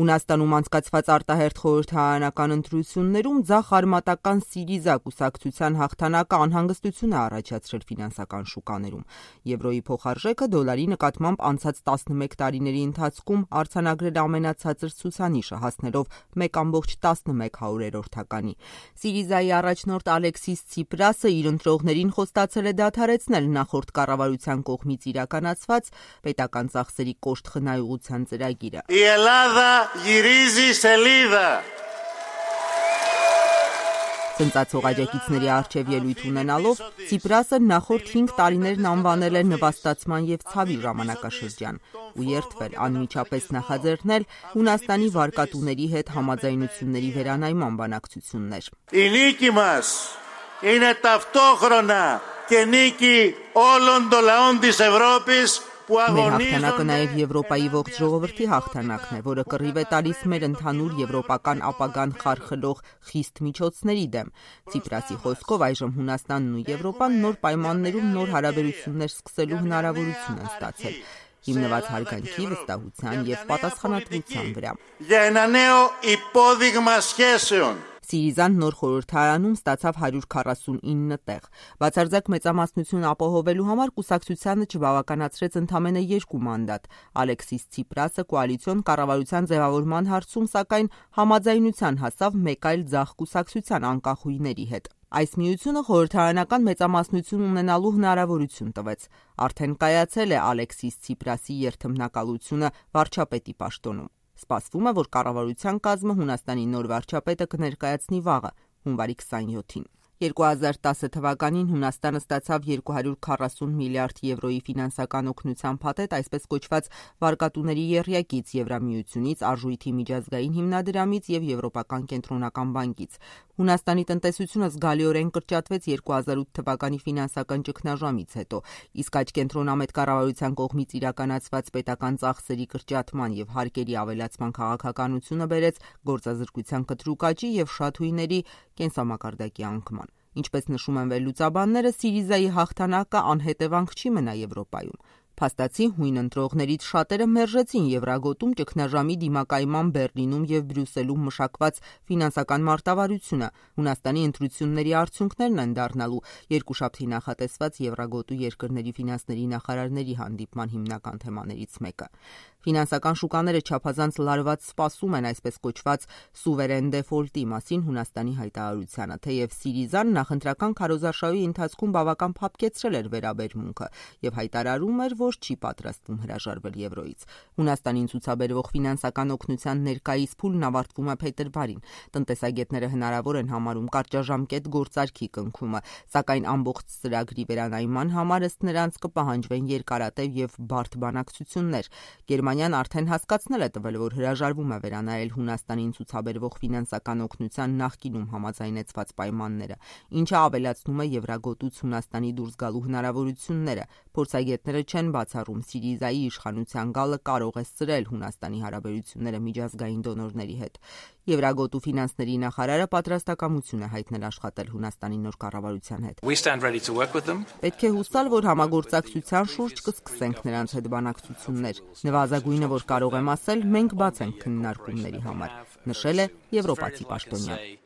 Հունաստանում անցկացված արտահերթ խորհրդարանական ընտրություններում ձախ արմատական Սիրիզա կուսակցության հաղթանակը անհանգստություն է առաջացրել ֆինանսական շուկաներում։ Եվրոյի փոխարժեքը դոլարի նկատմամբ անցած 11 տարիների ընթացքում արձանագրել ամենացածր ցուցանիշը, հասնելով 1,11%-ականի։ Սիրիզայի առաջնորդ Ալեքսիս Ցիպրասը իր ընտրողներին խոստացել է դադարեցնել նախորդ կառավարության կողմից իրականացված պետական ծախսերի կոշտ խնայողության ծրագիրը։ Ցնծացող աջակիցների առջև ելույթ ունենալով Ցիպրասը նախորդ 5 տարիներն անվանել է նվաստացման եւ ցավի ժամանակաշրջան ու երդվել անմիջապես նախաձեռնել Հունաստանի վարկատուների հետ համաձայնությունների վերանայման բանակցություններ։ Մեր հաղթանակը նաև Եվրոպայի ողջ ժողովրդի հաղթանակն է, որը կռիվ է տալիս մեր ընդհանուր եվրոպական ապագան խարխլող խիստ միջոցների դեմ։ Ցիպրասի խոսքով այժմ Հունաստանն ու Եվրոպան նոր պայմաններում նոր հարաբերություններ սկսելու հնարավորություն են ստացել, հիմնված հարգանքի, վստահության և պատասխանատվության վրա։ Սիրիզան նոր խորհրդարանում ստացավ 149 տեղ։ Բացարձակ մեծամասնություն ապահովելու համար կուսակցությանը չբավականացրեց ընդամենը 2 մանդատ։ Ալեքսիս Ցիպրասը կոալիցիոն կառավարության ձևավորման հարցում սակայն համաձայնության հասավ մեկ այլ ձախ կուսակցության անկախուհիների հետ։ Այս միությունը խորհրդարանական մեծամասնություն ունենալու հնարավորություն տվեց։ Արդեն կայացել է Ալեքսիս Ցիպրասի երթմնակալությունը վարչապետի պաշտոնում։ Սպասվում է, որ կառավարության կազմը Հունաստանի նոր վարչապետը կներկայացնի վաղը, հունվարի 27-ին։ 2010 թվականին Հունաստանը ստացավ 240 միլիարդ եվրոյի ֆինանսական օգնության փաթեթ, այսպես կոչված վարկատուների եռյակից, Եվրամիությունից, Արժույթի միջազգային հիմնադրամից և Եվրոպական կենտրոնական բանկից։ Հունաստանի տնտեսությունը զգալիորեն կրճատվեց 2008 թվականի ֆինանսական ճգնաժամից հետո, իսկ այդ կենտրոնամետ կառավարության կողմից իրականացված պետական ծախսերի կրճատման և հարկերի ավելացման քաղաքականությունը բերեց գործազրկության կտրուկ աճի և շատ հույների կենսամակարդակի անկման։ Ինչպես նշում են վերլուծաբանները, Սիրիզայի հաղթանակը անհետևանք չի մնա Եվրոպայում։ Փաստացի հույն ընտրողներից շատերը մերժեցին Եվրագոտում ճգնաժամի դիմակայման Բեռլինում և Բրյուսելում մշակված ֆինանսական մարտավարությունը։ Հունաստանի ընտրությունների արդյունքներն են դառնալու երկուշաբթի նախատեսված Եվրագոտու երկրների ֆինանսների նախարարների հանդիպման հիմնական թեմաներից մեկը։ Ֆինանսական շուկաները չափազանց լարված սպասում են այսպես կոչված սուվերեն դեֆոլտի մասին Հունաստանի հայտարարությանը, թեև Սիրիզան նախընտրական քարոզարշավի ընթացքում բավական փափկեցրել էր վերաբերմունքը և հայտարարում էր, որ չի պատրաստվում հրաժարվել եվրոյից։ Հունաստանին ցուցաբերվող ֆինանսական օգնության ներկայիս փուլն ավարտվում է փետրվարին։ Տնտեսագետները հնարավոր են համարում կարճաժամկետ գործարքի կնքումը, սակայն ամբողջ ծրագրի վերանայման համար ըստ նրանց կպահանջվեն երկարատև և բարդ բանակցություններ։ Գերմանիան արդեն հասկացնել է տվել, որ հրաժարվում է վերանայել Հունաստանին ցուցաբերվող ֆինանսական օգնության նախկինում համաձայնեցված պայմանները, ինչը ավելացնում է Եվրագոտուց Հունաստանի դուրս գալու հնարավորությունները։ Փորձագետները չեն բացառում Սիրիզայի իշխանության գալը կարող է սրել Հունաստանի հարաբերությունները միջազգային դոնորների հետ։ Եվրագոտու ֆինանսների նախարարը պատրաստակամություն է հայտնել աշխատել Հունաստանի նոր կառավարության հետ։ Պետք է հուսալ, որ համագործակցության շուրջ կսկսենք նրանց հետ բանակցություններ։ Նվազագույնը, որ կարող եմ ասել, մենք բաց ենք քննարկումների համար, նշել է եվրոպացի պաշտոնյան։